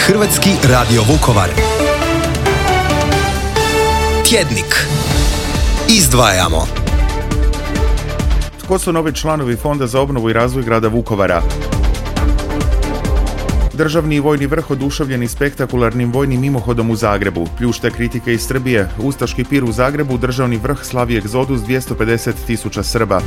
Hrvatski radio Vukovar. Tjednik. Izdvajamo. Tko su novi članovi Fonda za obnovu i razvoj grada Vukovara? Državni i vojni vrh oduševljeni spektakularnim vojnim mimohodom u Zagrebu. Pljušte kritike iz Srbije. Ustaški pir u Zagrebu, državni vrh slavi egzodus 250.000 Srba.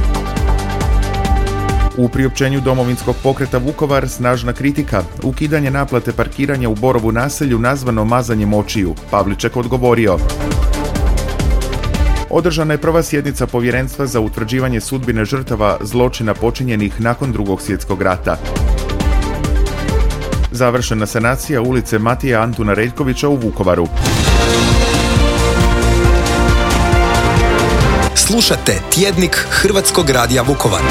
U priopćenju Domovinskog pokreta Vukovar snažna kritika. Ukidanje naplate parkiranja u Borovu naselju nazvano mazanjem očiju. Pavliček odgovorio. Održana je prva sjednica Povjerenstva za utvrđivanje sudbine žrtava zločina počinjenih nakon Drugog svjetskog rata. Završena sanacija ulice Matija Antuna Reljkovića u Vukovaru. Slušate Tjednik Hrvatskog radija Vukovar.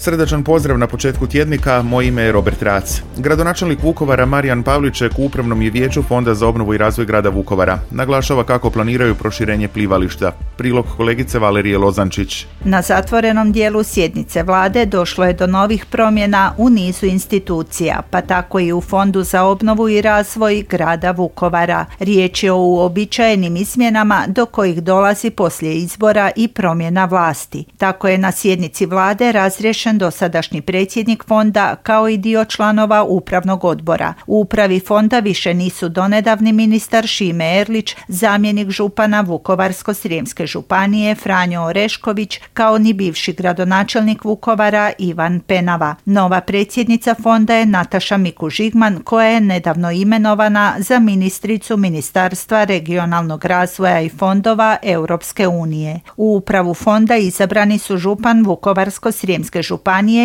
Srdačan pozdrav na početku tjednika, moje ime je Robert Rac. Gradonačelnik Vukovara Marijan Pavliček u Upravnom je vijeću Fonda za obnovu i razvoj grada Vukovara. Naglašava kako planiraju proširenje plivališta. Prilog kolegice Valerije Lozančić. Na zatvorenom dijelu sjednice vlade došlo je do novih promjena u nizu institucija, pa tako i u Fondu za obnovu i razvoj grada Vukovara. Riječ je o uobičajenim izmjenama do kojih dolazi poslije izbora i promjena vlasti. Tako je na sjednici vlade razriješen dosadašnji predsjednik fonda kao i dio članova upravnog odbora. U upravi fonda više nisu donedavni ministar Šime Erlić, zamjenik župana Vukovarsko-srijemske županije Franjo Orešković, kao ni bivši gradonačelnik Vukovara Ivan Penava. Nova predsjednica fonda je Nataša Mikuž-Žigman, koja je nedavno imenovana za ministricu Ministarstva regionalnog razvoja i fondova Europske unije. U upravu fonda izabrani su župan Vukovarsko-srijemske županije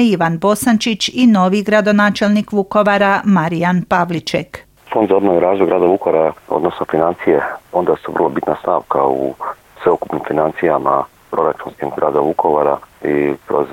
Ivan Bosančić i novi gradonačelnik Vukovara Marijan Pavliček. Fond za obnovu i razvoj grada Vukovara, odnosno financije, onda su vrlo bitna stavka u sveukupnim financijama proračunskim grada Vukovara i kroz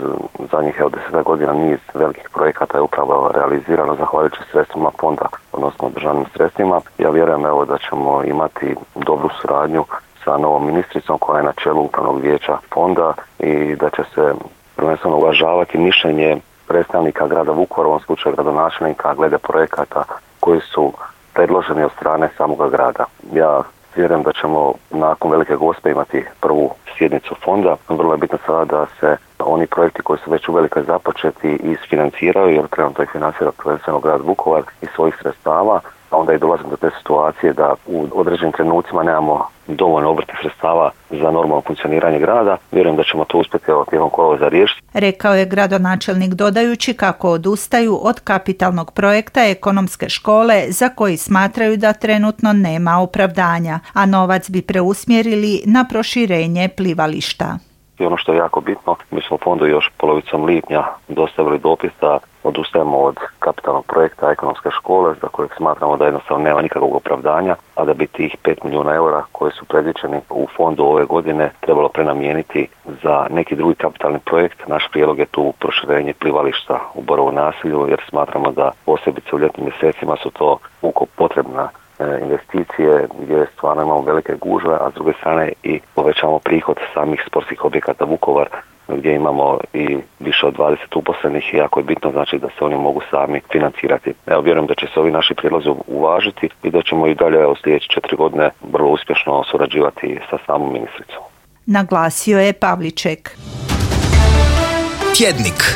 zadnjih 10 godina niz velikih projekata je upravo realizirano zahvaljujući sredstvima fonda, odnosno državnim sredstvima. Ja vjerujem da ćemo imati dobru suradnju sa novom ministricom koja je na čelu upravnog vijeća fonda i da će se prvenstveno uvažavati mišljenje predstavnika grada Vukovara, u ovom slučaju gradonačelnika, glede projekata koji su predloženi od strane samoga grada. Ja vjerujem da ćemo nakon Velike Gospe imati prvu sjednicu fonda. Vrlo je bitno sada da se oni projekti koji su već u velikoj započeti isfinanciraju, jer trenutno ih financira prvenstveno grad Vukovar iz svojih sredstava, a onda i dolazim do te situacije da u određenim trenucima nemamo dovoljno obrtnih sredstava za normalno funkcioniranje grada. Vjerujem da ćemo to uspjeti tijekom kolovoza riješiti. Rekao je gradonačelnik dodajući kako odustaju od kapitalnog projekta ekonomske škole za koji smatraju da trenutno nema opravdanja, a novac bi preusmjerili na proširenje plivališta. I ono što je jako bitno, mi smo fondu još polovicom lipnja dostavili dopis da odustajemo od kapitalnog projekta ekonomske škole za kojeg smatramo da jednostavno nema nikakvog opravdanja, a da bi tih 5 milijuna eura koji su predviđeni u fondu ove godine trebalo prenamijeniti za neki drugi kapitalni projekt. Naš prijedlog je tu proširenje plivališta u Borovu naselju, jer smatramo da posebice u ljetnim mjesecima su to potrebna investicije gdje stvarno imamo velike gužve, a s druge strane i povećamo prihod samih sportskih objekata Vukovar gdje imamo i više od 20 uposlenih i jako je bitno znači da se oni mogu sami financirati. Evo, vjerujem da će se ovi naši prijedlozi uvažiti i da ćemo i dalje u sljedeće 4 godine vrlo uspješno surađivati sa samom ministricom. Naglasio je Pavliček. Tjednik.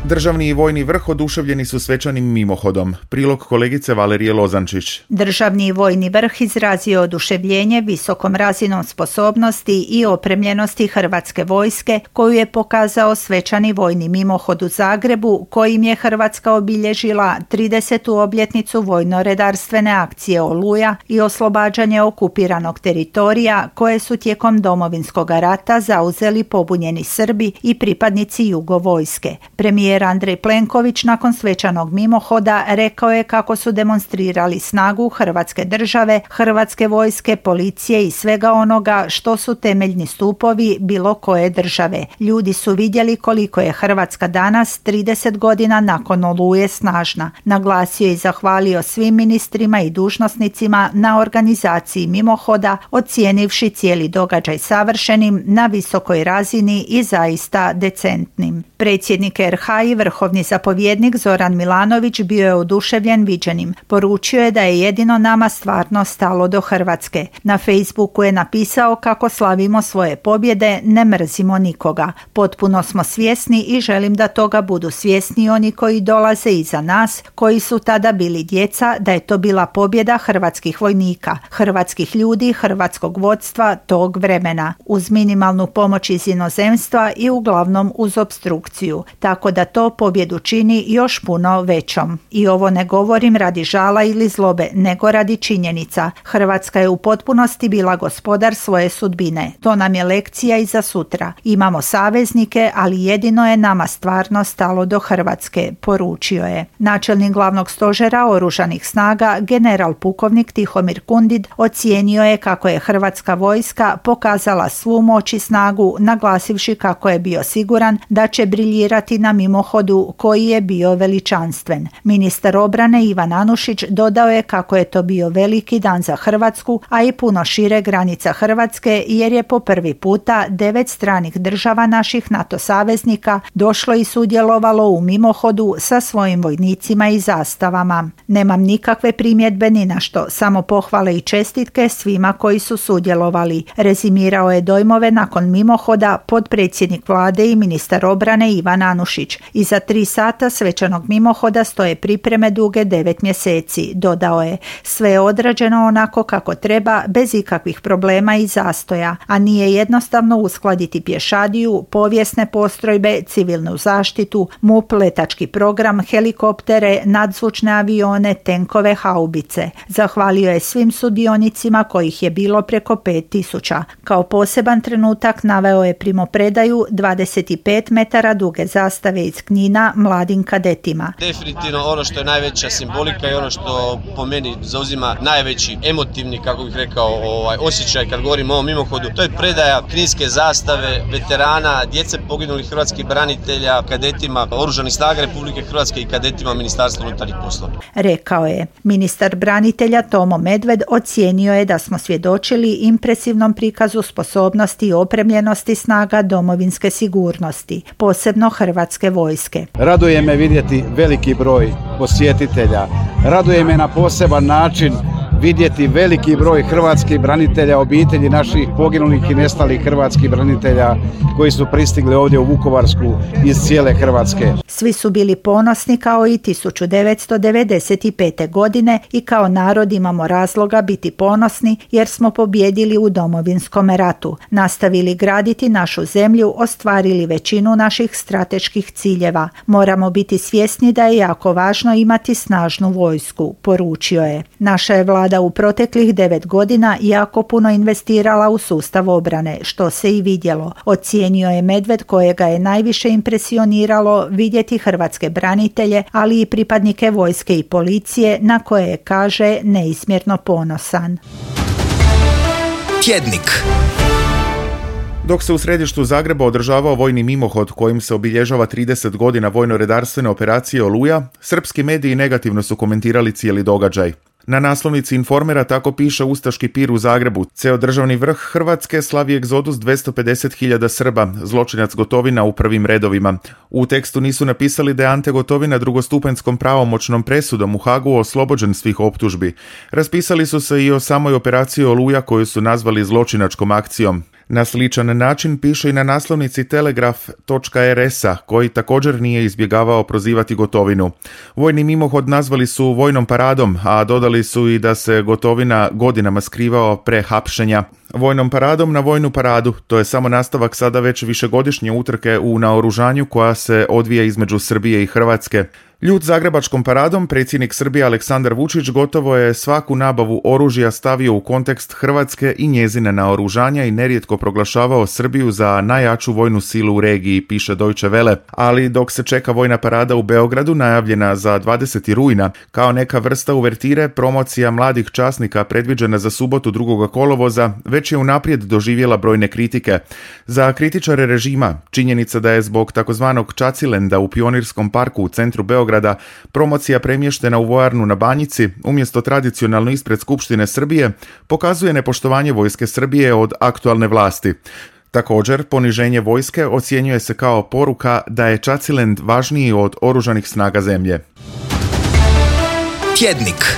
Državni i vojni vrh oduševljeni su svečanim mimohodom. Prilog kolegice Valerije Lozančić. Državni i vojni vrh izrazio oduševljenje visokom razinom sposobnosti i opremljenosti Hrvatske vojske, koju je pokazao svečani vojni mimohod u Zagrebu, kojim je Hrvatska obilježila 30. obljetnicu vojno-redarstvene akcije Oluja i oslobađanje okupiranog teritorija koje su tijekom Domovinskog rata zauzeli pobunjeni Srbi i pripadnici Jugo vojske. Premijer Premijer Andrej Plenković nakon svečanog mimohoda rekao je kako su demonstrirali snagu Hrvatske države, Hrvatske vojske, policije i svega onoga što su temeljni stupovi bilo koje države. Ljudi su vidjeli koliko je Hrvatska danas, 30 godina nakon Oluje, snažna. Naglasio i zahvalio svim ministrima i dužnosnicima na organizaciji mimohoda, ocijenivši cijeli događaj savršenim, na visokoj razini i zaista decentnim. Predsjednik RH i vrhovni zapovjednik Zoran Milanović bio je oduševljen viđenim. Poručio je da je jedino nama stvarno stalo do Hrvatske. Na Facebooku je napisao kako slavimo svoje pobjede, ne mrzimo nikoga. Potpuno smo svjesni i želim da toga budu svjesni oni koji dolaze iza nas, koji su tada bili djeca, da je to bila pobjeda hrvatskih vojnika, hrvatskih ljudi, hrvatskog vodstva tog vremena, uz minimalnu pomoć iz inozemstva i uglavnom uz opstrukciju, tako da to pobjedu čini još puno većom. I ovo ne govorim radi žala ili zlobe, nego radi činjenica. Hrvatska je u potpunosti bila gospodar svoje sudbine. To nam je lekcija i za sutra. Imamo saveznike, ali jedino je nama stvarno stalo do Hrvatske, poručio je. Načelnik glavnog stožera oružanih snaga, general pukovnik Tihomir Kundid, ocijenio je kako je Hrvatska vojska pokazala svu moć i snagu, naglasivši kako je bio siguran da će briljirati na mimohodu koji je bio veličanstven. Ministar obrane Ivan Anušić dodao je kako je to bio veliki dan za Hrvatsku, a i puno šire granica Hrvatske, jer je po prvi puta 9 stranih država naših NATO saveznika došlo i sudjelovalo u mimohodu sa svojim vojnicima i zastavama. Nemam nikakve primjedbe ni na što, samo pohvale i čestitke svima koji su sudjelovali. Rezimirao je dojmove nakon mimohoda potpredsjednik vlade i ministar obrane Ivan Anušić. Iza 3 sata svečanog mimohoda stoje pripreme duge 9 mjeseci, dodao je. Sve je odrađeno onako kako treba, bez ikakvih problema i zastoja, a nije jednostavno uskladiti pješadiju, povijesne postrojbe, civilnu zaštitu, MUP, letački program, helikoptere, nadzvučne avione, tenkove, haubice. Zahvalio je svim sudionicima kojih je bilo preko 5000. Kao poseban trenutak naveo je primopredaju 25 metara duge zastave iz Knina mladim kadetima. Definitivno ono što je najveća simbolika i ono što po meni zauzima najveći emotivni, kako bih rekao, osjećaj kad govorimo o ovom mimohodu, to je predaja kninske zastave, veterana, djece poginulih hrvatskih branitelja, kadetima Oružanih snaga Republike Hrvatske i kadetima Ministarstva unutarnjih poslova. Rekao je. Ministar branitelja Tomo Medved ocijenio je da smo svjedočili impresivnom prikazu sposobnosti i opremljenosti snaga domovinske sigurnosti, posebno Hrvatske vojske. Raduje me vidjeti veliki broj posjetitelja. Raduje me na poseban način vidjeti veliki broj hrvatskih branitelja, obitelji naših poginulih i nestalih hrvatskih branitelja koji su pristigli ovdje u Vukovarsku iz cijele Hrvatske. Svi su bili ponosni kao i 1995. godine i kao narod imamo razloga biti ponosni jer smo pobijedili u Domovinskom ratu, nastavili graditi našu zemlju, ostvarili većinu naših strateških ciljeva. Moramo biti svjesni da je jako važno imati snažnu vojsku, poručio je. Naša je vlada u proteklih 9 godina jako puno investirala u sustav obrane, što se i vidjelo. Ocijenio je Medved, kojega je najviše impresioniralo vidjeti hrvatske branitelje, ali i pripadnike vojske i policije, na koje je, kaže, neizmjerno ponosan. Tjednik. Dok se u središtu Zagreba održavao vojni mimohod kojim se obilježava 30 godina vojno-redarstvene operacije Oluja, srpski mediji negativno su komentirali cijeli događaj. Na naslovnici Informera tako piše ustaški pir u Zagrebu. Ceo državni vrh Hrvatske slavi egzodus 250.000 Srba, zločinac Gotovina u prvim redovima. U tekstu nisu napisali da je Ante Gotovina drugostupanjskom pravomoćnom presudom u Hagu oslobođen svih optužbi. Raspisali su se i o samoj operaciji Oluja koju su nazvali zločinačkom akcijom. Na sličan način piše i na naslovnici Telegraf.rs-a, koji također nije izbjegavao prozivati Gotovinu. Vojni mimohod nazvali su vojnom paradom, a dodali su i da se Gotovina godinama skrivao pre hapšenja. Vojnom paradom na vojnu paradu, to je samo nastavak sada već višegodišnje utrke u naoružanju koja se odvija između Srbije i Hrvatske. Ljut zagrebačkom paradom, predsjednik Srbije Aleksandar Vučić gotovo je svaku nabavu oružja stavio u kontekst Hrvatske i njezine naoružanja i nerijetko proglašavao Srbiju za najjaču vojnu silu u regiji, piše Deutsche Welle. Ali dok se čeka vojna parada u Beogradu, najavljena za 20. rujna, kao neka vrsta uvertire, promocija mladih časnika predviđena za subotu 2. kolovoza, već je unaprijed doživjela brojne kritike. Za kritičare režima, činjenica da je zbog takozvanog Čacilenda u Pionirskom parku u centru Beograda promocija premještena u vojarnu na Banjici umjesto tradicionalno ispred Skupštine Srbije pokazuje nepoštovanje vojske Srbije od aktualne vlasti. Također, poniženje vojske ocjenjuje se kao poruka da je Čacilend važniji od oružanih snaga zemlje. Tjednik.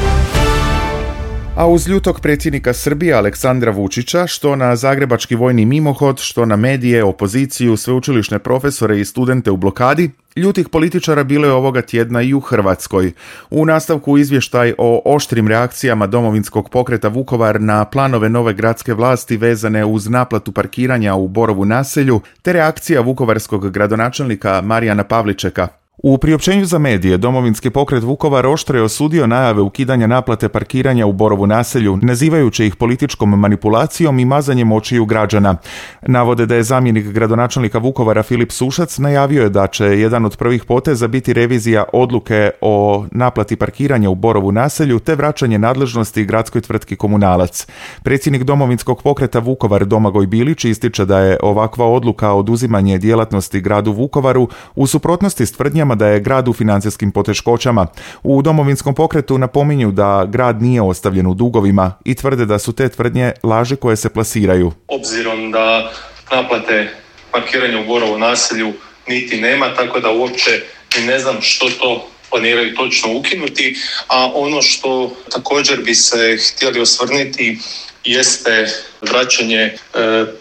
A uz ljutog predsjednika Srbije Aleksandra Vučića, što na zagrebački vojni mimohod, što na medije, opoziciju, sveučilišne profesore i studente u blokadi, ljutih političara bilo je ovoga tjedna i u Hrvatskoj. U nastavku izvještaj o oštrim reakcijama Domovinskog pokreta Vukovar na planove nove gradske vlasti vezane uz naplatu parkiranja u Borovu naselju, te reakcija vukovarskog gradonačelnika Marijana Pavličeka. U priopćenju za medije Domovinski pokret Vukovar oštro je osudio najave ukidanja naplate parkiranja u Borovu naselju, nazivajući ih političkom manipulacijom i mazanjem očiju građana. Navode da je zamjenik gradonačelnika Vukovara Filip Sušac najavio je da će jedan od prvih poteza biti revizija odluke o naplati parkiranja u Borovu naselju te vraćanje nadležnosti gradskoj tvrtki Komunalac. Predsjednik Domovinskog pokreta Vukovar Domagoj Bilić ističe da je ovakva odluka oduzimanje djelatnosti gradu Vukovaru u suprotnosti s tvrdnjama da je grad u financijskim poteškoćama. U Domovinskom pokretu napominju da grad nije ostavljen u dugovima i tvrde da su te tvrdnje laži koje se plasiraju. Obzirom da naplate parkiranja u Borovu naselju niti nema, tako da uopće ni ne znam što to planiraju točno ukinuti, a ono što također bi se htjeli osvrnuti jeste vraćanje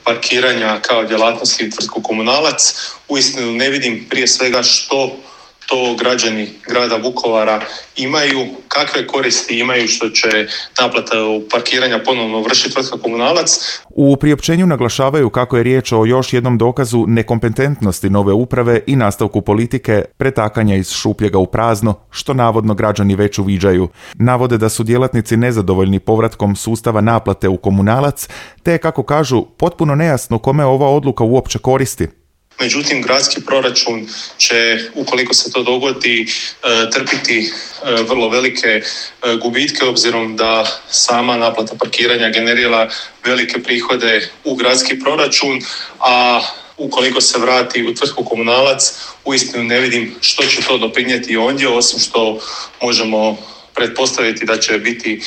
parkiranja kao djelatnosti u tvrtku Komunalac. Uistinu ne vidim prije svega što to građani grada Vukovara imaju, kakve koristi imaju što će naplata parkiranja ponovno vršiti tvrtka Komunalac. U priopćenju naglašavaju kako je riječ o još jednom dokazu nekompetentnosti nove uprave i nastavku politike pretakanja iz šupljega u prazno, što navodno građani već uviđaju. Navode da su djelatnici nezadovoljni povratkom sustava naplate u Komunalac, te kako kažu potpuno nejasno kome ova odluka uopće koristi. Međutim, gradski proračun će, ukoliko se to dogodi, trpiti vrlo velike gubitke, obzirom da sama naplata parkiranja generira velike prihode u gradski proračun, a ukoliko se vrati u tvrtku Komunalac, uistinu ne vidim što će to doprinijeti ondje, osim što možemo pretpostaviti da će biti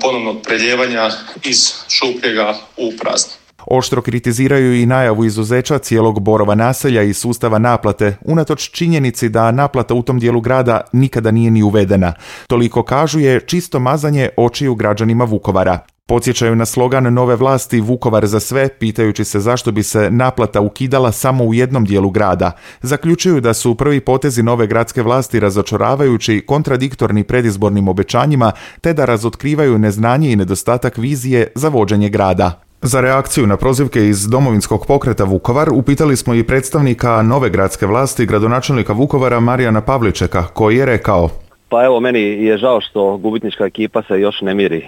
ponovnog preljevanja iz šupljega u prazno. Oštro kritiziraju i najavu izuzeća cijelog Borova naselja i sustava naplate, unatoč činjenici da naplata u tom dijelu grada nikada nije ni uvedena. Toliko kažu je čisto mazanje očiju građanima Vukovara. Podsjećaju na slogan nove vlasti Vukovar za sve, pitajući se zašto bi se naplata ukidala samo u jednom dijelu grada. Zaključuju da su prvi potezi nove gradske vlasti razočaravajući, kontradiktorni predizbornim obećanjima, te da razotkrivaju neznanje i nedostatak vizije za vođenje grada. Za reakciju na prozivke iz Domovinskog pokreta Vukovar upitali smo i predstavnika nove gradske vlasti, gradonačelnika Vukovara Marijana Pavličeka, koji je rekao: Pa evo, meni je žao što gubitnička ekipa se još ne miri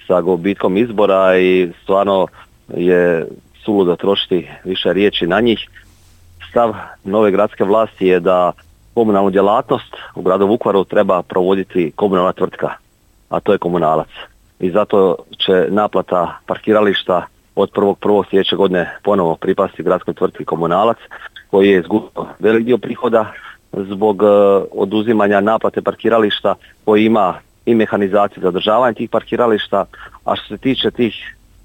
sa gubitkom izbora i stvarno je suludo trošiti više riječi na njih. Stav nove gradske vlasti je da komunalnu djelatnost u gradu Vukovaru treba provoditi komunalna tvrtka, a to je Komunalac. I zato će naplata parkirališta od 1.1. sljedeće godine ponovo pripasti gradskoj tvrtki Komunalac, koji je izgubio velik dio prihoda zbog oduzimanja naplate parkirališta, koji ima i mehanizaciju za održavanje tih parkirališta. A što se tiče tih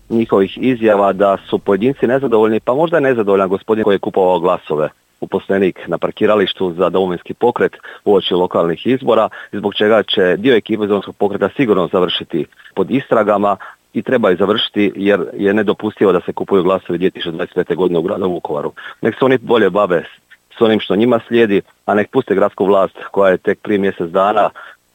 njihovih izjava da su pojedinci nezadovoljni, pa možda je nezadovoljan gospodin koji je kupovao glasove, uposlenik na parkiralištu za Domovinski pokret uoči lokalnih izbora, zbog čega će dio ekipe Domovinskog pokreta sigurno završiti pod istragama i treba je završiti jer je nedopustivo da se kupuju glasovi 2025. godine u gradu Vukovaru. Nek se oni bolje bave s onim što njima slijedi, a nek puste gradsku vlast koja je tek prije mjesec dana,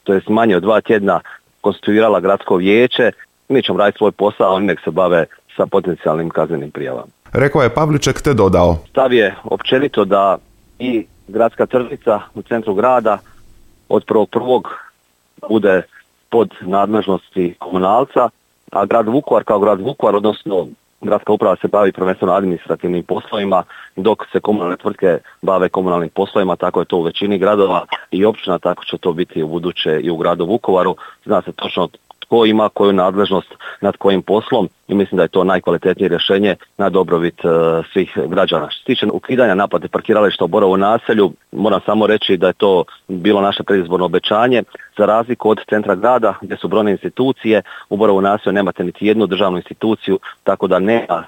to jest manje od 2 tjedna, konstituirala gradsko vijeće. Mi ćemo raditi svoj posao, a oni nek se bave sa potencijalnim kaznenim prijavama. Rekao je Pavliček te dodao: Stav je općenito da i gradska tržnica u centru grada od 1.1. bude pod nadležnosti komunalca, a grad Vukovar kao grad Vukovar, odnosno gradska uprava se bavi prvenstveno administrativnim poslovima, dok se komunalne tvrtke bave komunalnim poslovima, tako je to u većini gradova i općina, tako će to biti u buduće i u gradu Vukovaru. Zna se točno tko ima koju nadležnost nad kojim poslom i mislim da je to najkvalitetnije rješenje na dobrobit svih građana. Što se tiče ukidanja naplate parkirališta u Borovu naselju, moram samo reći da je to bilo naše predizborno obećanje. Za razliku od centra grada gdje su brojne institucije, u Borovu naselju nemate niti jednu državnu instituciju, tako da nema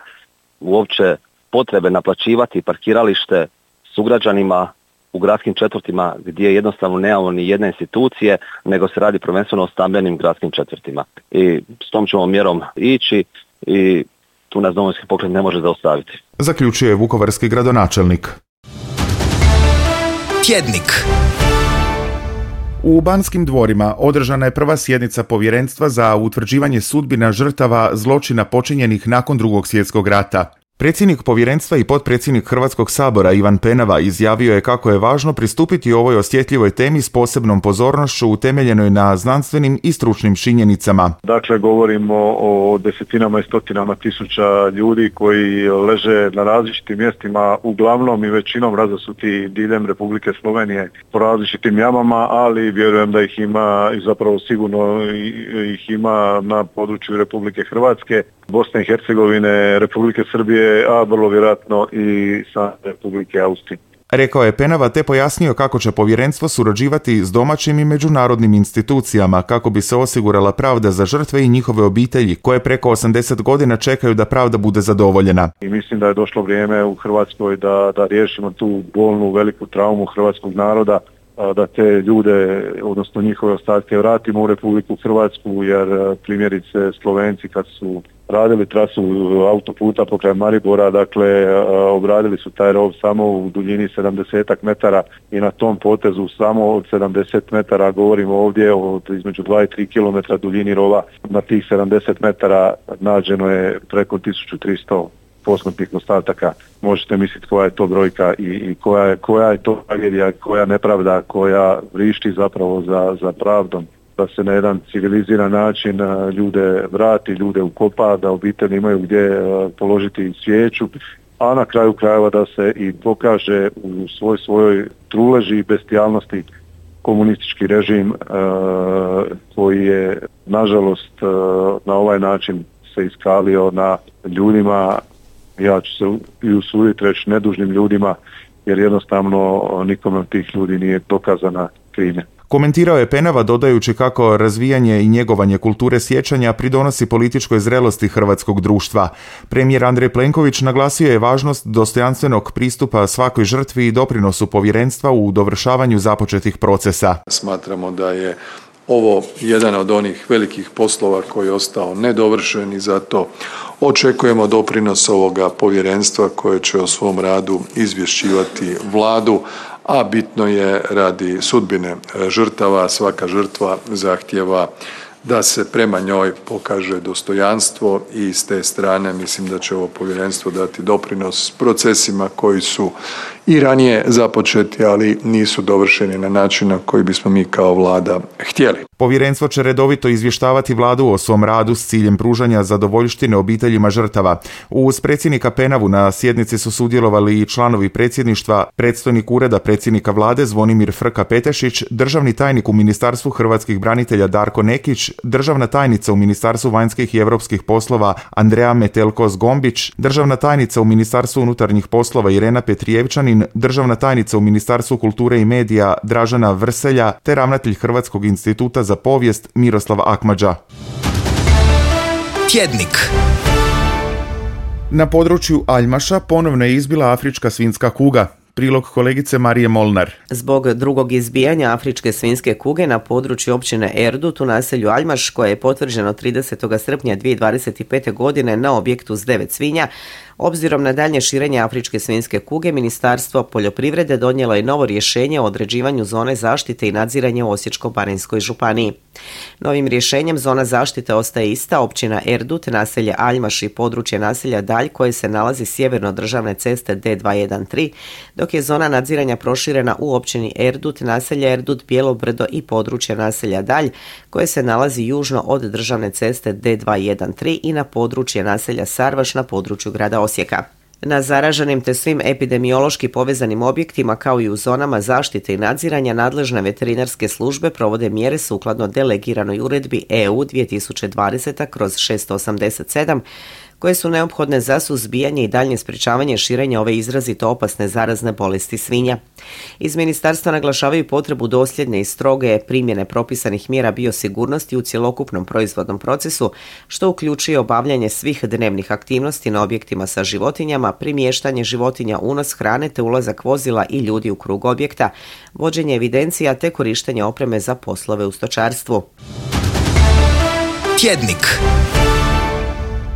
uopće potrebe naplaćivati parkiralište sugrađanima u gradskim četvrtima gdje jednostavno nemamo ni jedne institucije, nego se radi prvenstveno o stambenim gradskim četvrtima. I s tom ćemo mjerom ići i tu nas Domovinski pokret ne može zaustaviti. Zaključuje vukovarski gradonačelnik. Tjednik. U Banskim dvorima održana je prva sjednica povjerenstva za utvrđivanje sudbina žrtava zločina počinjenih nakon Drugog svjetskog rata. Predsjednik povjerenstva i potpredsjednik Hrvatskog sabora Ivan Penava izjavio je kako je važno pristupiti ovoj osjetljivoj temi s posebnom pozornošću utemeljenoj na znanstvenim i stručnim činjenicama. Dakle, govorimo o desetinama i stotinama tisuća ljudi koji leže na različitim mjestima, uglavnom i većinom razasuti diljem Republike Slovenije po različitim jamama, ali vjerujem da ih ima i zapravo sigurno ih ima na području Republike Hrvatske, Bosne i Hercegovine, Republike Srbije, a vrlo vjerojatno i sa Republike Austrije. Rekao je Penava te pojasnio kako će povjerenstvo surađivati s domaćim i međunarodnim institucijama kako bi se osigurala pravda za žrtve i njihove obitelji koje preko 80 godina čekaju da pravda bude zadovoljena. I mislim da je došlo vrijeme u Hrvatskoj da riješimo tu bolnu veliku traumu hrvatskog naroda, da te ljude, odnosno njihove ostatke vratimo u Republiku Hrvatsku, jer primjerice Slovenci kad su radili trasu autoputa pokraj Maribora, dakle obradili su taj rov samo u duljini 70 metara i na tom potezu samo od 70 metara, govorimo ovdje od između 2 i 3 km duljini rova, na tih 70 metara nađeno je preko 1300 posmrtnih ostataka. Možete misliti koja je to brojka i koja je to tragedija, koja nepravda, koja vrišti zapravo za pravdom, da se na jedan civiliziran način ljude vrati, ljude ukopa, da obitelji imaju gdje položiti svijeću, a na kraju krajeva da se i pokaže u svojoj truleži i bestijalnosti komunistički režim koji je nažalost na ovaj način se iskalio na ljudima, ja ću se i usuditi reći nedužnim ljudima, jer jednostavno nikome od tih ljudi nije dokazana krivnja. Komentirao je Penava dodajući kako razvijanje i njegovanje kulture sjećanja pridonosi političkoj zrelosti hrvatskog društva. Premijer Andrej Plenković naglasio je važnost dostojanstvenog pristupa svakoj žrtvi i doprinosu povjerenstva u dovršavanju započetih procesa. Smatramo da je ovo jedan od onih velikih poslova koji je ostao nedovršen i zato očekujemo doprinos ovoga povjerenstva koje će o svom radu izvješćivati Vladu, a bitno je radi sudbine žrtava. Svaka žrtva zahtijeva da se prema njoj pokaže dostojanstvo i s te strane mislim da će ovo povjerenstvo dati doprinos procesima koji su i ranije započeti, ali nisu dovršeni na način na koji bismo mi kao Vlada htjeli. Povjerenstvo će redovito izvještavati Vladu o svom radu s ciljem pružanja zadovoljštine obiteljima žrtava. Uz predsjednika Penavu na sjednici su sudjelovali i članovi predsjedništva, predstojnik Ureda predsjednika Vlade Zvonimir Frka-Petešić, državni tajnik u Ministarstvu hrvatskih branitelja Darko Nekić, državna tajnica u Ministarstvu vanjskih i europskih poslova Andreja Metelko-Zgombić, državna tajnica u Ministarstvu unutarnjih poslova Irena Petrijevčanin, državna tajnica u Ministarstvu kulture i medija Dražena Vrselja te ravnatelj Hrvatskog instituta za povijest Miroslav Akmadža. Tjednik. Na području Aljmaša ponovno je izbila afrička svinjska kuga. Prilog kolegice Marije Molnar. Zbog drugog izbijanja afričke svinjske kuge na području općine Erdut u naselju Aljmaš, koje je potvrđeno 30. srpnja 2025. godine na objektu s 9 svinja, obzirom na daljnje širenje afričke svinjske kuge, Ministarstvo poljoprivrede donijelo je novo rješenje o određivanju zone zaštite i nadziranja u Osječko-baranjskoj županiji. Novim rješenjem zona zaštite ostaje ista, općina Erdut, naselje Aljmaš i područje naselja Dalj koje se nalazi sjeverno državne ceste D213, dok dok je zona nadziranja proširena u općini Erdut, naselje Erdut, Bijelo brdo i područje naselja Dalj, koje se nalazi južno od državne ceste D213 i na područje naselja Sarvaš na području grada Osijeka. Na zaraženim te svim epidemiološki povezanim objektima kao i u zonama zaštite i nadziranja nadležne veterinarske službe provode mjere sukladno delegiranoj uredbi EU 2020/687 koje su neophodne za suzbijanje i daljnje sprječavanje širenja ove izrazito opasne zarazne bolesti svinja. Iz ministarstva naglašavaju potrebu dosljedne i stroge primjene propisanih mjera biosigurnosti u cjelokupnom proizvodnom procesu, što uključuje obavljanje svih dnevnih aktivnosti na objektima sa životinjama, primještanje životinja, unos hrane te ulazak vozila i ljudi u krug objekta, vođenje evidencija te korištenje opreme za poslove u stočarstvu. Tjednik.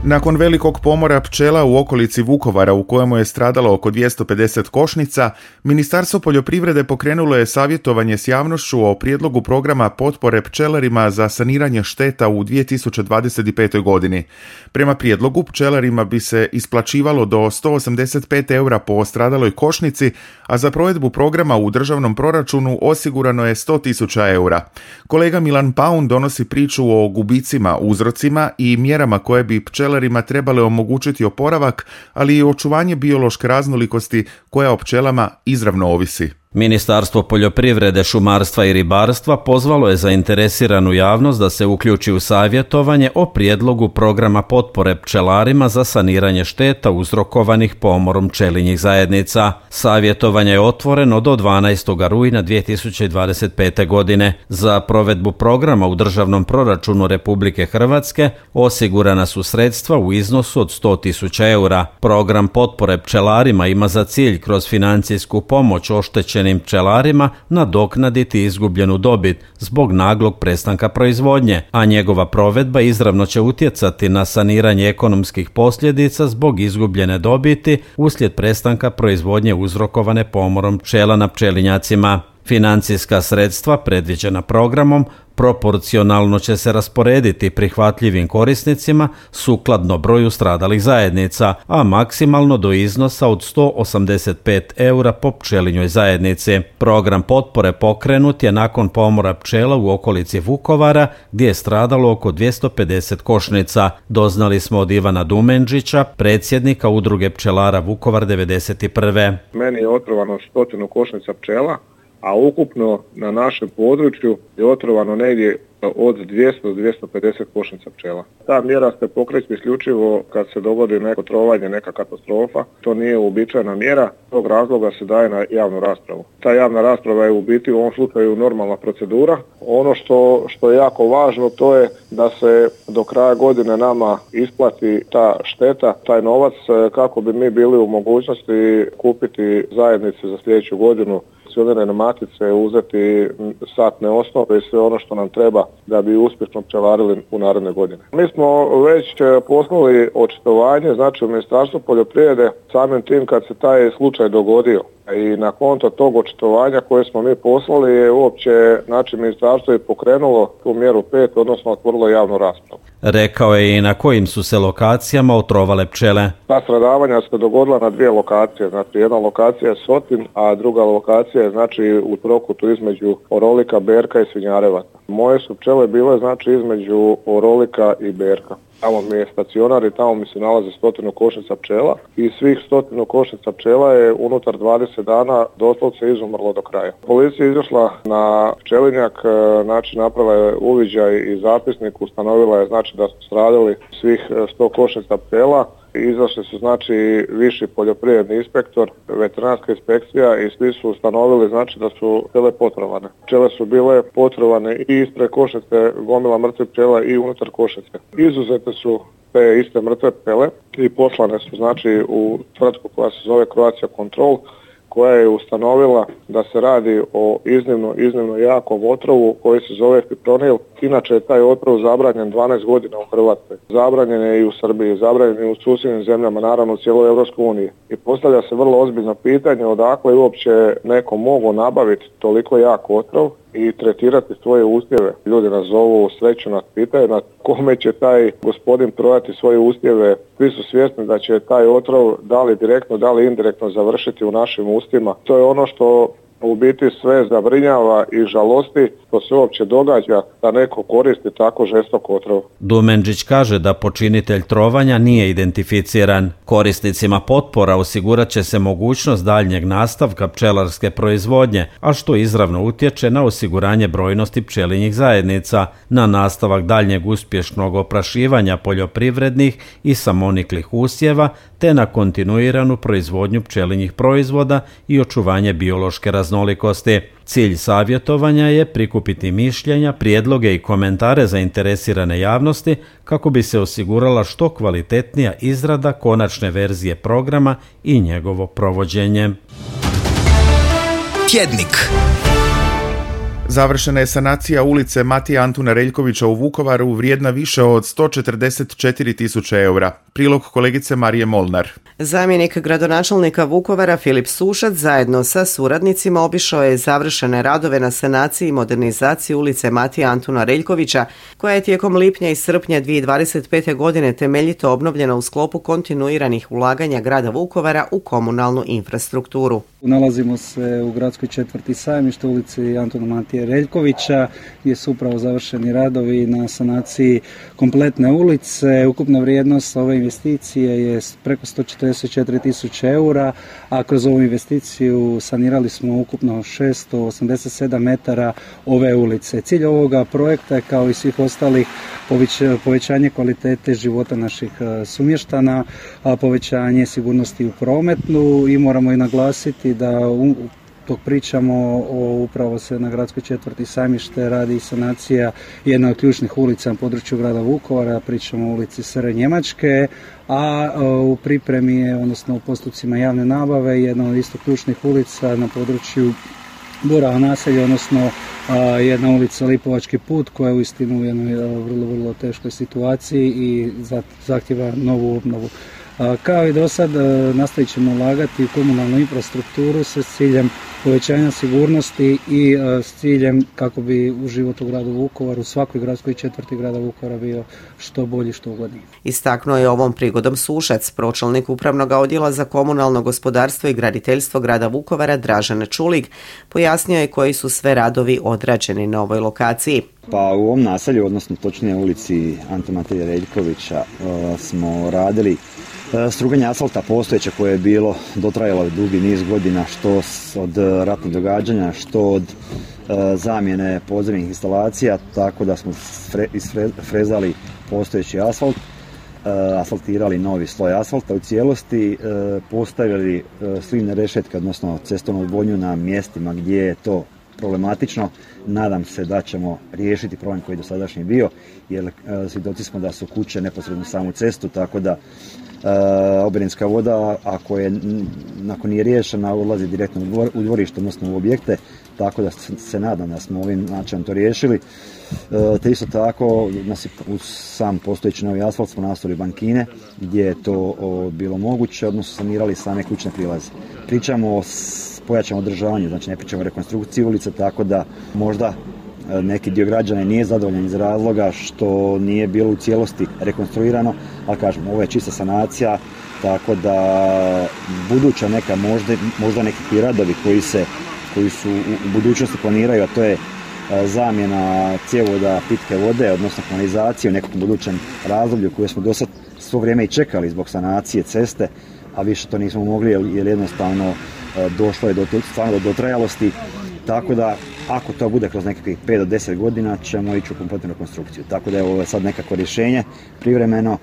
Nakon velikog pomora pčela u okolici Vukovara u kojemu je stradalo oko 250 košnica, Ministarstvo poljoprivrede pokrenulo je savjetovanje s javnošću o prijedlogu programa potpore pčelarima za saniranje šteta u 2025. godini. Prema prijedlogu pčelarima bi se isplaćivalo do 185 eura po stradaloj košnici, a za provedbu programa u državnom proračunu osigurano je 100.000 eura. Kolega Milan Paun donosi priču o gubicima, uzrocima i mjerama koje bi pčelarima trebale omogućiti oporavak, ali i očuvanje biološke raznolikosti koja o pčelama izravno ovisi. Ministarstvo poljoprivrede, šumarstva i ribarstva pozvalo je zainteresiranu javnost da se uključi u savjetovanje o prijedlogu programa potpore pčelarima za saniranje šteta uzrokovanih pomorom pčelinjih zajednica. Savjetovanje je otvoreno do 12. rujna 2025. godine. Za provedbu programa u državnom proračunu Republike Hrvatske osigurana su sredstva u iznosu od 100.000 eura. Program potpore pčelarima ima za cilj kroz financijsku pomoć oštećenim pčelarima nadoknaditi izgubljenu dobit zbog naglog prestanka proizvodnje, a njegova provedba izravno će utjecati na saniranje ekonomskih posljedica zbog izgubljene dobiti uslijed prestanka proizvodnje uzrokovane pomorom pčela na pčelinjacima. Financijska sredstva predviđena programom proporcionalno će se rasporediti prihvatljivim korisnicima sukladno broju stradalih zajednica, a maksimalno do iznosa od 185 eura po pčelinjoj zajednici. Program potpore pokrenut je nakon pomora pčela u okolici Vukovara gdje je stradalo oko 250 košnica. Doznali smo od Ivana Dumenđića, predsjednika Udruge pčelara Vukovar 91. Meni je otrovano 100 košnica pčela, a ukupno na našem području je otrovano negdje od 200 do 250 košnica pčela. Ta mjera se pokreće isključivo kad se dogodi neko trovanje, neka katastrofa. To nije uobičajena mjera, tog razloga se daje na javnu raspravu. Ta javna rasprava je u biti u ovom slučaju normalna procedura. Ono što je jako važno to je da se do kraja godine nama isplati ta šteta, taj novac kako bi mi bili u mogućnosti kupiti zajednice za sljedeću godinu, pčelinjene matice, uzeti satne osnove i sve ono što nam treba da bi uspješno pčelarili u naredne godine. Mi smo već poslali očitovanje, znači u Ministarstvu poljoprivrede, samim tim kad se taj slučaj dogodio. I na konto tog očitovanja koje smo mi poslali je uopće, znači ministarstvo je pokrenulo tu mjeru 5, odnosno otvorilo javnu raspravu. Rekao je i na kojim su se lokacijama otrovale pčele. Ta stradavanja se dogodila na 2 lokacije, znači jedna lokacija je Sotin, a druga lokacija je znači u trokutu između Orolika, Berka i Svinjarevaca. Moje su pčele bile znači između Orolika i Berka. Tamo mi je stacionar i tamo mi se nalazi 100 košnica pčela i svih 100 košnica pčela je unutar 20 dana doslovce izumrlo do kraja. Policija je izašla na pčelinjak, znači napravila je uviđaj i zapisnik, ustanovila je znači da su stradali svih 100 košnica pčela. Izašli su znači viši poljoprivredni inspektor, veterinarska inspekcija i svi su ustanovili znači da su pčele potrovane. Pčele su bile potrovane i ispred košnice, gomila mrtve pčela i unutar košnice. Izuzete su te iste mrtve pčele i poslane su znači u tvrtku koja se zove Croatia Control, koja je ustanovila da se radi o iznimno jakom otrovu koji se zove fipronil Inače je taj otrov zabranjen 12 godina u Hrvatskoj. Zabranjen je i u Srbiji, zabranjen je u susjednim zemljama, naravno u cijeloj Europskoj uniji. I postavlja se vrlo ozbiljno pitanje odakle je uopće neko mogao nabaviti toliko jak otrov i tretirati svoje usjeve. Ljudi nas zovu, sreću nas pitaju na kome će taj gospodin prodati svoje usjeve. Svi su svjesni da će taj otrov da li direktno, da li indirektno završiti u našim ustima. To je ono što u biti sve zabrinjava i žalosti što se uopće događa da neko koristi tako žestok otrov. Dumendžić kaže da počinitelj trovanja nije identificiran. Korisnicima potpora osigurat će se mogućnost daljnjeg nastavka pčelarske proizvodnje, a što izravno utječe na osiguranje brojnosti pčelinjih zajednica, na nastavak daljnjeg uspješnog oprašivanja poljoprivrednih i samoniklih usjeva, te na kontinuiranu proizvodnju pčelinjih proizvoda i očuvanje biološke raznolikosti. Cilj savjetovanja je prikupiti mišljenja, prijedloge i komentare zainteresirane javnosti kako bi se osigurala što kvalitetnija izrada konačne verzije programa i njegovo provođenje. Tjednik. Završena je sanacija ulice Matije Antuna Reljkovića u Vukovaru vrijedna više od 144.000 eura. Prilog kolegice Marije Molnar. Zamjenik gradonačelnika Vukovara Filip Sušac zajedno sa suradnicima obišao je završene radove na sanaciji i modernizaciji ulice Matije Antuna Reljkovića, koja je tijekom lipnja i srpnja 2025. godine temeljito obnovljena u sklopu kontinuiranih ulaganja grada Vukovara u komunalnu infrastrukturu. Nalazimo se u gradskoj četvrti Sajmište, ulici Antuna Matije Reljkovića, gdje su upravo završeni radovi na sanaciji kompletne ulice. Ukupna vrijednost ove investicije je preko 144.000 eura, a kroz ovu investiciju sanirali smo ukupno 687 metara ove ulice. Cilj ovoga projekta je, kao i svih ostalih, povećanje kvalitete života naših sumještana, povećanje sigurnosti u prometu, i moramo i naglasiti da dok pričamo upravo se na gradskoj četvrti Sajmište radi sanacija jedna od ključnih ulica na području grada Vukovara, pričamo o ulici SR Njemačke, a u pripremi je, odnosno u postupcima javne nabave, jedna od isto ključnih ulica na području Borova naselja, odnosno jedna ulica Lipovački put, koja je uistinu u jednoj vrlo teškoj situaciji i zahtjeva novu obnovu. Kao i do sad, nastavit ćemo ulagati u komunalnu infrastrukturu sa ciljem povećanja sigurnosti i s ciljem kako bi u život u gradu Vukovaru, u svakoj gradskoj četvrti grada Vukovara, bio što bolji, što ugodniji. Istaknuo je ovom prigodom Sušac, pročelnik Upravnog odjela za komunalno gospodarstvo i graditeljstvo grada Vukovara Dražen Čulig. Pojasnio je koji su sve radovi odrađeni na ovoj lokaciji. Pa u ovom naselju, odnosno točnije ulici Antuna Matije Reljkovića, smo radili struganje asfalta postojeće koje je bilo dotrajalo dugi niz godina, što od ratnih događanja, što od zamjene podzemnih instalacija, tako da smo isfrezali postojeći asfalt, asfaltirali novi sloj asfalta u cijelosti, postavili slivne rešetke, odnosno cestovnu odvodnju na mjestima gdje je to problematično. Nadam se da ćemo riješiti problem koji je dosadašnji bio, jer svjedoci smo da su kuće neposredno samu cestu, tako da oborinska voda, ako nije riješena, odlazi direktno u dvorište, odnosno u objekte, tako da se nadam da smo ovim načinom to riješili. Te isto tako, uz sam postojeći novi asfalt smo nastavili bankine, gdje je to bilo moguće, odnosno sanirali same kućne prilaze. Pričamo o pojačanom održavanju, znači ne pričamo o rekonstrukciji ulice, tako da možda neki dio građana nije zadovoljan iz razloga što nije bilo u cijelosti rekonstruirano, ali kažem, ovo je čista sanacija, tako da buduća neka možda neki radovi koji su u budućnosti planiraju, a to je zamjena cjevovoda pitke vode, odnosno kanalizacije u nekom budućem razdoblju koje smo do sad svo vrijeme i čekali zbog sanacije ceste, a više to nismo mogli jer jednostavno došlo je do dotrajalosti, tako da ako to bude kroz nekakvih 5 do 10 godina ćemo ići u kompletnu rekonstrukciju. Tako da je ovo sad nekako rješenje, privremeno,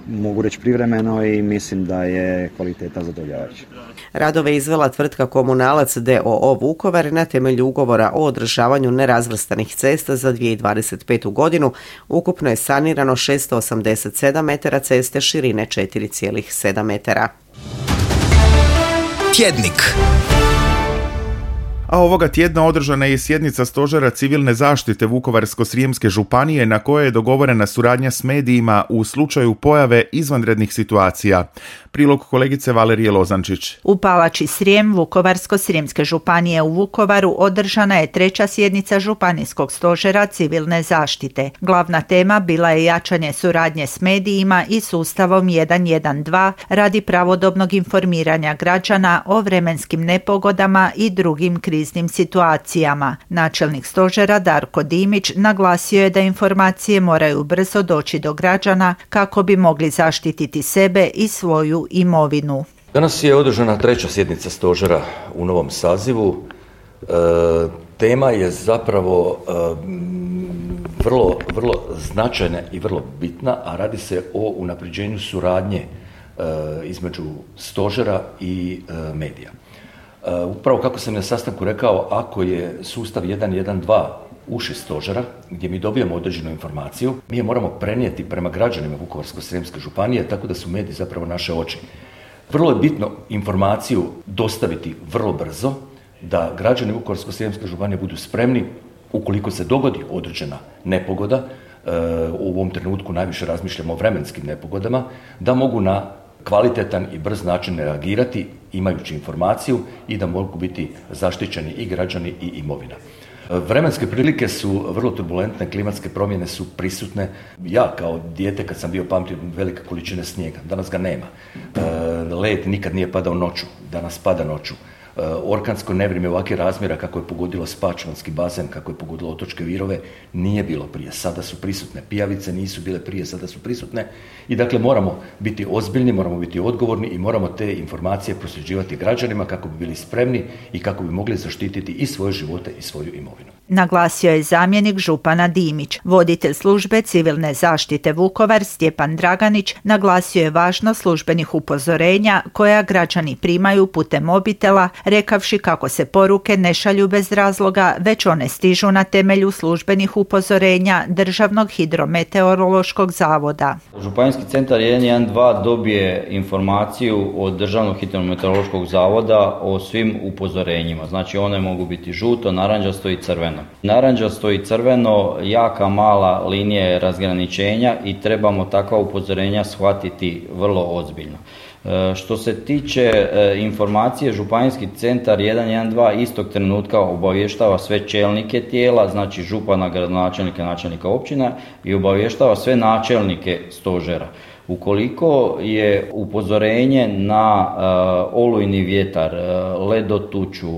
mogu reći privremeno, i mislim da je kvaliteta zadovoljavajuća. Radove izvela tvrtka Komunalac d.o.o. Vukovar na temelju ugovora o održavanju nerazvrstanih cesta za 2025. godinu. Ukupno je sanirano 687 metara ceste širine 4,7 metara. Tjednik. A ovoga tjedna održana je sjednica Stožera civilne zaštite Vukovarsko-srijemske županije na kojoj je dogovorena suradnja s medijima u slučaju pojave izvanrednih situacija. Prilog kolegice Valerije Lozančić. U Palači Srijem Vukovarsko-srijemske županije u Vukovaru održana je 3. sjednica Županijskog stožera civilne zaštite. Glavna tema bila je jačanje suradnje s medijima i sustavom 112 radi pravodobnog informiranja građana o vremenskim nepogodama i drugim kriznim situacijama. Načelnik stožera Darko Dimić naglasio je da informacije moraju brzo doći do građana kako bi mogli zaštititi sebe i svoju imovinu. Danas je održana 3. sjednica stožera u novom sazivu. Tema je zapravo vrlo značajna i vrlo bitna, a radi se o unapređenju suradnje između stožera i medija. Upravo kako sam na sastanku rekao, ako je sustav 112 uši stožera, gdje mi dobijemo određenu informaciju, mi je moramo prenijeti prema građanima Vukovarsko-srijemske županije, tako da su mediji zapravo naše oči. Vrlo je bitno informaciju dostaviti vrlo brzo, da građani Vukovarsko-srijemske županije budu spremni, ukoliko se dogodi određena nepogoda, u ovom trenutku najviše razmišljamo o vremenskim nepogodama, da mogu na kvalitetan i brz način reagirati imajući informaciju i da mogu biti zaštićeni i građani i imovina. Vremenske prilike su vrlo turbulentne, klimatske promjene su prisutne. Ja kao dijete kad sam bio pamtio velike količine snijega, danas ga nema. Led nikad nije padao noću, danas pada noću. Orkansko nevrijeme ovakvih razmjera kako je pogodilo Spačvanski bazen, kako je pogodilo Otočke Virove, nije bilo prije, sada su prisutne. Pijavice nisu bile prije, sada su prisutne. I dakle moramo biti ozbiljni, moramo biti odgovorni i moramo te informacije prosljeđivati građanima kako bi bili spremni i kako bi mogli zaštititi i svoje živote i svoju imovinu. Naglasio je zamjenik župana Dimić. Voditelj službe civilne zaštite Vukovar Stjepan Draganić naglasio je važnost službenih upozorenja koja građani primaju putem mobitela, rekavši kako se poruke ne šalju bez razloga, već one stižu na temelju službenih upozorenja Državnog hidrometeorološkog zavoda. Županijski centar 112 dobije informaciju od Državnog hidrometeorološkog zavoda o svim upozorenjima. Znači one mogu biti žuto, naranđasto i crveno. Naranđasto i crveno jaka mala linija je razgraničenja i trebamo takva upozorenja shvatiti vrlo ozbiljno. Što se tiče informacije, Županijski centar 112 istog trenutka obavještava sve čelnike tijela, znači župana, gradonačelnika, načelnika općina i obavještava sve načelnike stožera. Ukoliko je upozorenje na olujni vjetar, ledotuču,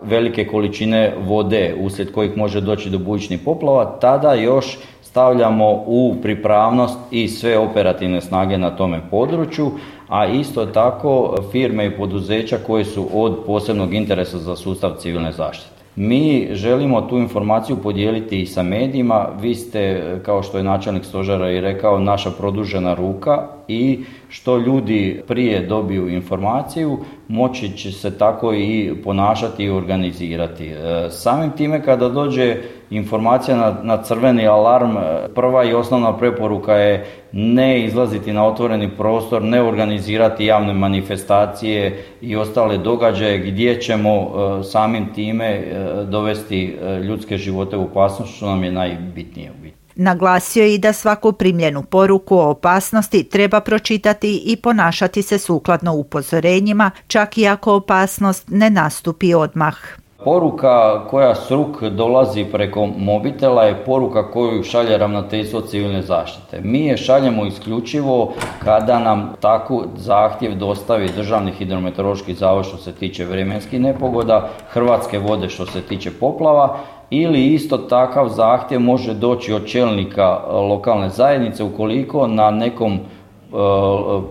velike količine vode uslijed kojih može doći do bujičnih poplava, tada još stavljamo u pripravnost i sve operativne snage na tome području, a isto tako firme i poduzeća koje su od posebnog interesa za sustav civilne zaštite. Mi želimo tu informaciju podijeliti i sa medijima. Vi ste, kao što je načelnik stožera i rekao, naša produžena ruka i što ljudi prije dobiju informaciju, moći će se tako i ponašati i organizirati. Samim time kada dođe informacija na crveni alarm, prva i osnovna preporuka je ne izlaziti na otvoreni prostor, ne organizirati javne manifestacije i ostale događaje gdje ćemo samim time dovesti ljudske živote u opasnost, što nam je najbitnije u biti. Naglasio je i da svaku primljenu poruku o opasnosti treba pročitati i ponašati se sukladno upozorenjima, čak i ako opasnost ne nastupi odmah. Poruka koja s ruk dolazi preko mobitela je poruka koju šalje Ravnateljstvo civilne zaštite. Mi je šaljemo isključivo kada nam tako zahtjev dostavi Državni hidrometeorološki zavod što se tiče vremenskih nepogoda, Hrvatske vode što se tiče poplava, ili isto takav zahtjev može doći od čelnika lokalne zajednice ukoliko na nekom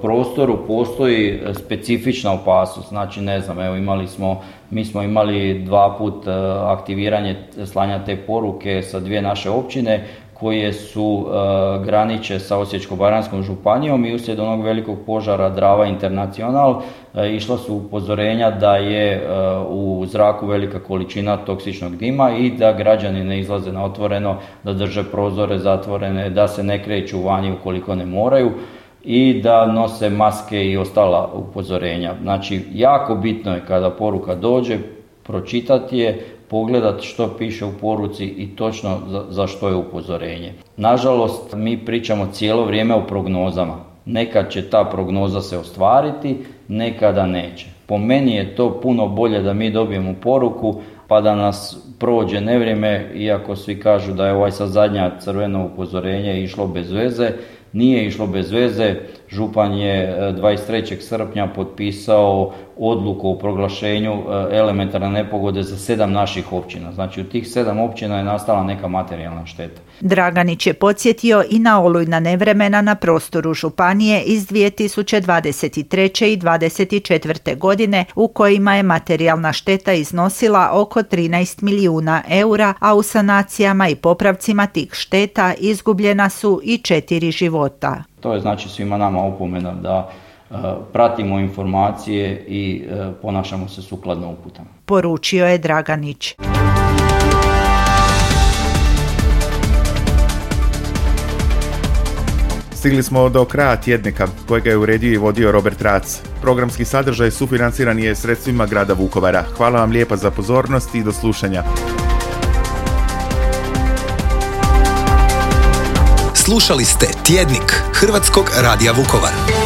prostoru postoji specifična opasnost. Znači ne znam, evo mi smo imali 2 put aktiviranje slanja te poruke sa 2 naše općine koje su graniče sa Osječko-baranjskom županijom i uslijed onog velikog požara Drava International išla su upozorenja da je u zraku velika količina toksičnog dima i da građani ne izlaze na otvoreno, da drže prozore zatvorene, da se ne kreću vani ukoliko ne moraju i da nose maske i ostala upozorenja. Znači, jako bitno je kada poruka dođe, pročitati je, pogledati što piše u poruci i točno za što je upozorenje. Nažalost, mi pričamo cijelo vrijeme o prognozama. Nekad će ta prognoza se ostvariti, nekada neće. Po meni je to puno bolje da mi dobijemo poruku pa da nas prođe nevrijeme, iako svi kažu da je sad zadnja crveno upozorenje išlo bez veze. Nije išlo bez veze, župan je 23. srpnja potpisao odluku o proglašenju elementarne nepogode za 7 naših općina. Znači u tih 7 općina je nastala neka materijalna šteta. Draganić je podsjetio i na olujna nevremena na prostoru županije iz 2023. i 2024. godine u kojima je materijalna šteta iznosila oko 13 milijuna eura, a u sanacijama i popravcima tih šteta izgubljena su i 4 života. To je znači svima nama opomena da pratimo informacije i ponašamo se sukladno uputama. Poručio je Draganić. Stigli smo do kraja tjednika kojega je uredio i vodio Robert Rac. Programski sadržaj sufinanciran je sredstvima grada Vukovara. Hvala vam lijepa za pozornost i do slušanja. Slušali ste Tjednik Hrvatskog radija Vukovar.